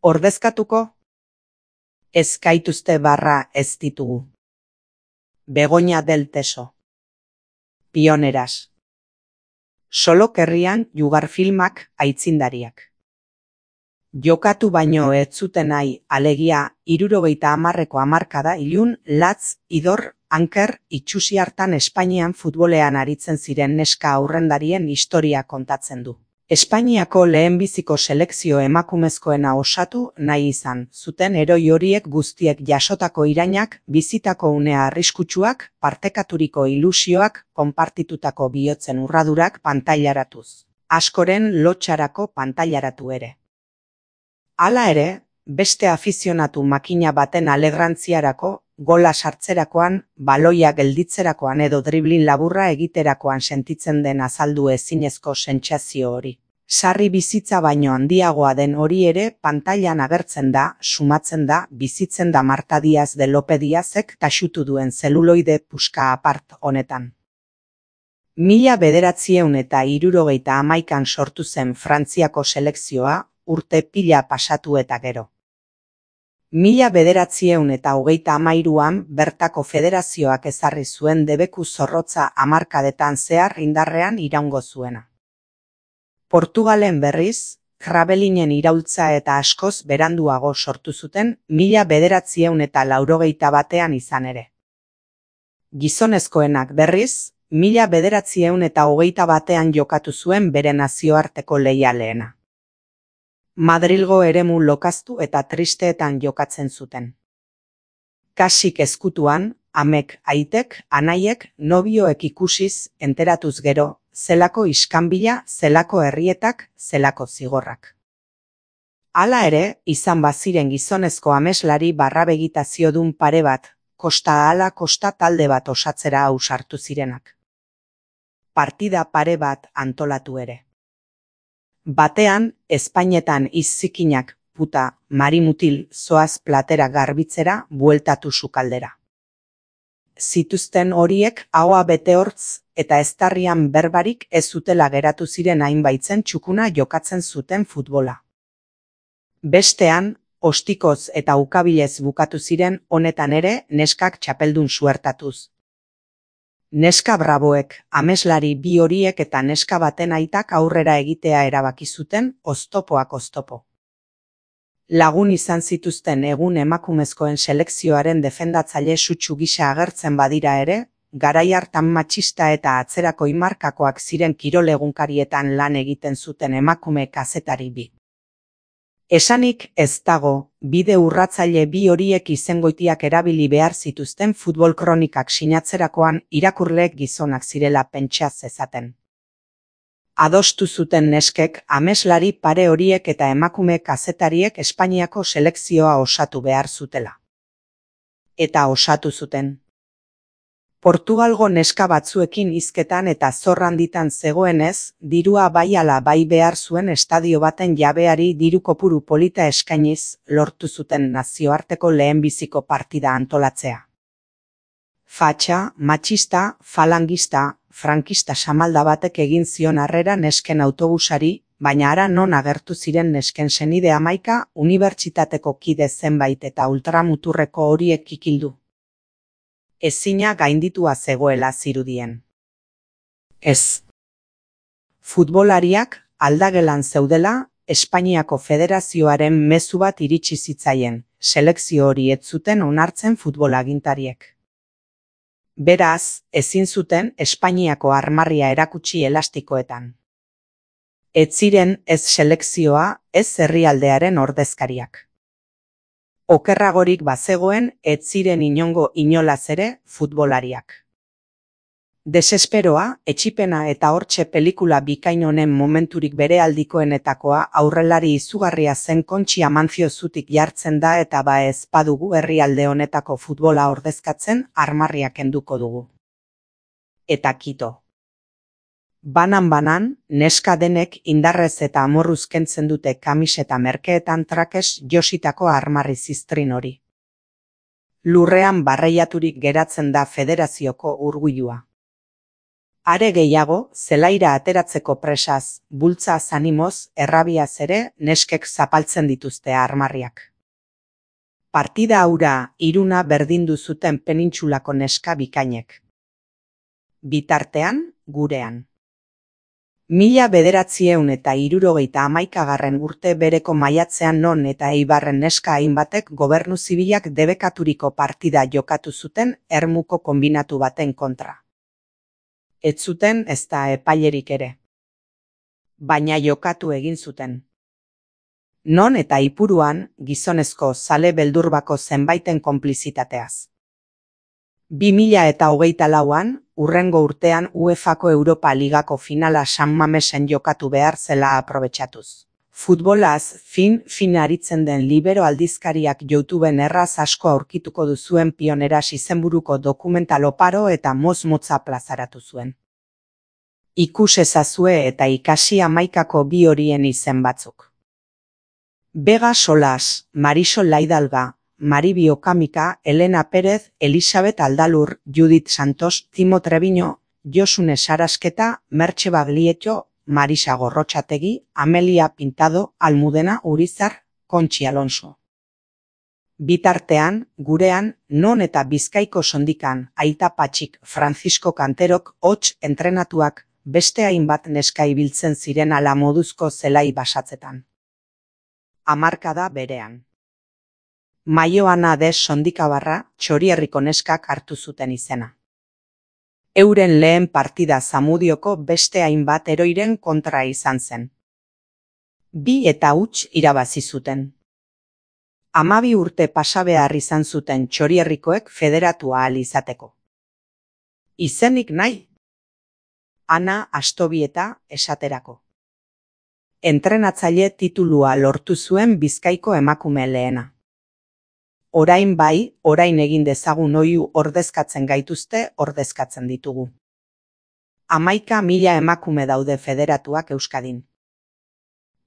Ordezkatuko? Ez gaituzte barra ez ditugu. Begoña del Teso. Pioneras. Solo querrían jugar filmak aitzindariak. Jokatu baino ez zuten nahi, alegia, 70ko hamarkada ilun, latz, idor, anker, itxusi hartan Espainian futbolean aritzen ziren neska aurrendarien historia kontatzen du. Espainiako lehenbiziko selekzio emakumezkoena osatu nahi izan zuten heroi horiek guztiek jasotako irainak, bizitako une arriskutsuak, partekaturiko ilusioak, konpartitutako bihotzen urradurak pantailaratuz. Askoren lotxarako pantailaratu ere. Hala ere, beste afizionatu makina baten alegrantziarako, gola sartzerakoan, baloia gelditzerakoan edo driblin laburra egiterakoan sentitzen den azaldu ezinezko sentsazio hori. Sarri bizitza baino handiagoa den hori ere pantailan agertzen da, sumatzen da, bizitzen da Marta Díaz de Lope Díazek taxutu duen zeluloide puska apart honetan. 1971an sortu zen Frantziako selekzioa, urte pila pasatu eta gero. 1933an bertako federazioak ezarri zuen debeku zorrotza hamarkadetan zehar indarrean iraungo zuena. Portugalen berriz, Krabelinen iraultza eta askoz beranduago sortu zuten 1981an izan ere. Gizonezkoenak berriz, 1921an jokatu zuen bere nazioarteko leialeena. Madrilgo eremu lokaztu eta tristeetan jokatzen zuten. Kasik ezkutuan, amek, aitek, anaiek, nobioek ikusiz, enteratuz gero, zelako iskanbila, zelako herrietak, zelako zigorrak. Hala ere, izan baziren gizonezko ameslari barrabegitaziodun pare bat, kosta ahala kosta talde bat osatzera ausartu zirenak. Partida pare bat antolatu ere. Batean, Espainetan izzikinak, puta, marimutil, zoaz platera garbitzera, bueltatu sukaldera. Zituzten horiek ahoa bete hortz, eta eztarrian berbarik ez zutela geratu ziren hainbaitzen txukuna jokatzen zuten futbola. Bestean, ostikoz eta ukabilez bukatu ziren honetan ere neskak txapeldun suertatuz. Neska braboek, ameslari bi horiek eta neska baten aitak aurrera egitea erabaki zuten oztopoak oztopo. Lagun izan zituzten egun emakumezkoen selekzioaren defendatzaile sutsu gisa agertzen badira ere, garai hartan matxista eta atzerakoi markakoak ziren kirol egunkarietan lan egiten zuten emakume kazetari bi. Esanik ez dago, bide urratzaile bi horiek izengoitiak erabili behar zituzten futbol kronikak sinatzerakoan irakurleek gizonak zirela pentsa zezaten. Adostu zuten neskek ameslari pare horiek eta emakume kazetariek Espainiako selekzioa osatu behar zutela. Eta osatu zuten. Portugalgo neska batzuekin hizketan eta zorranditan zegoenez, dirua bai ala bai behar zuen estadio baten jabeari diru kopuru polita eskainiz lortu zuten nazioarteko lehenbiziko partida antolatzea. Fatxa, matxista, falangista, frankista samalda batek egin zion harrera nesken autobusari, baina hara non agertu ziren nesken senide 11 unibertsitateko kide zenbait eta ultramuturreko horiek kikildu. Ezina gainditua zegoela zirudien. Ez. Futbolariak aldagelan zeudela, Espainiako Federazioaren mezu bat iritsi zitzaien, selekzio hori ez zuten onartzen futbolagintariek. Beraz, ezin zuten Espainiako armarria erakutsi elastikoetan. Ez ziren ez selekzioa, ez herrialdearen ordezkariak. Okerragorik bazegoen, ez ziren inongo inolaz ere futbolariak. Desesperoa, etxipena eta hortxe pelikula bikain honen momenturik bere aldikoenetakoa aurrelari izugarria zen Kontxi Amancio zutik jartzen da eta ba ez badugu herrialde honetako futbola ordezkatzen armarriak kenduko dugu. Eta kito. Banan, neska denek indarrez eta amorruz kentzen dute kamiseta merkeetan trakes jositako armarri ziztrin hori. Lurrean barreiaturik geratzen da federazioko urguilua. Are gehiago, zelaira ateratzeko presaz, bultzaz animoz, errabiaz ere, neskek zapaltzen dituzte armarriak. Partida hura hiruna berdindu zuten penintsulako neska bikainek. Bitartean, gurean. 1971 urte bereko maiatzean Non eta Eibarren neska hainbatek gobernu zibilak debekaturiko partida jokatu zuten Ermuko konbinatu baten kontra. Ez zuten ezta epailerik ere. Baina jokatu egin zuten. Non eta Ipuruan gizonezko zale beldurbako zenbaiten konplizitateaz. 2024an, hurrengo urtean UEFako Europa Ligako finala San Mamesen jokatu behar zela aprobetxatuz. Futbolaz fin aritzen den Libero aldizkariak YouTubeen erraz asko aurkituko duzuen Pioneras izenburuko dokumental oparo eta motz-motza plazaratu zuen. Ikus ezazue eta ikasi 11ko bi horien izen batzuk. Vega Solas, Marisol Laidalga, Maribi Okamika, Elena Pérez, Elisabet Aldalur, Judith Santos, Timo Treviño, Josune Sarasketa, Mertxe Baglietto, Marisa Gorrotxategi, Amelia Pintado, Almudena Urizar, Kontxi Alonso. Bitartean, gurean, Non eta Bizkaiko sondikan, Aita Patxik, Francisco Kanterok, hots entrenatuak, beste hainbat neska ibiltzen ziren ala moduzko zelai basatzetan. Hamarkada berean. Maioana des sondikabarra Txorierriko neskak hartu zuten izena. Euren lehen partida Zamudioko beste hainbat heroiren kontra izan zen. 2-0 irabazi zuten. 12 urte pasa behar izan zuten Txorierrikoek federatu ahal izateko. Izenik nahi? Ana Astobieta esaterako. Entrenatzaile titulua lortu zuen Bizkaiko emakume lehena. Orain bai, orain egin dezagun oihu ordezkatzen gaituzte, ordezkatzen ditugu. 11.000 emakume daude federatuak Euskadin.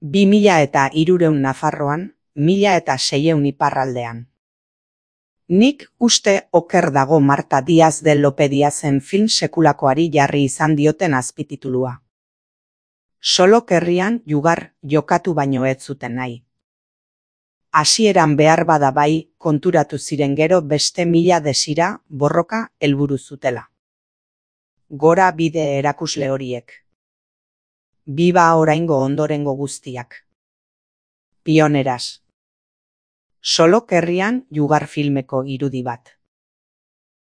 2.300 Nafarroan, 1.600 iparraldean. Nik uste oker dago Marta Diaz de Lopediazen film sekulakoari jarri izan dioten azpititulua. Solokerrian jugar jokatu baino ez zuten nahi. Hasieran behar bada bai, konturatu ziren gero beste 1000 desira, borroka, helburu zutela. Gora bide erakusle horiek. Biba oraingo ondorengo guztiak. Pioneras. Solokerrian jugar filmeko irudi bat.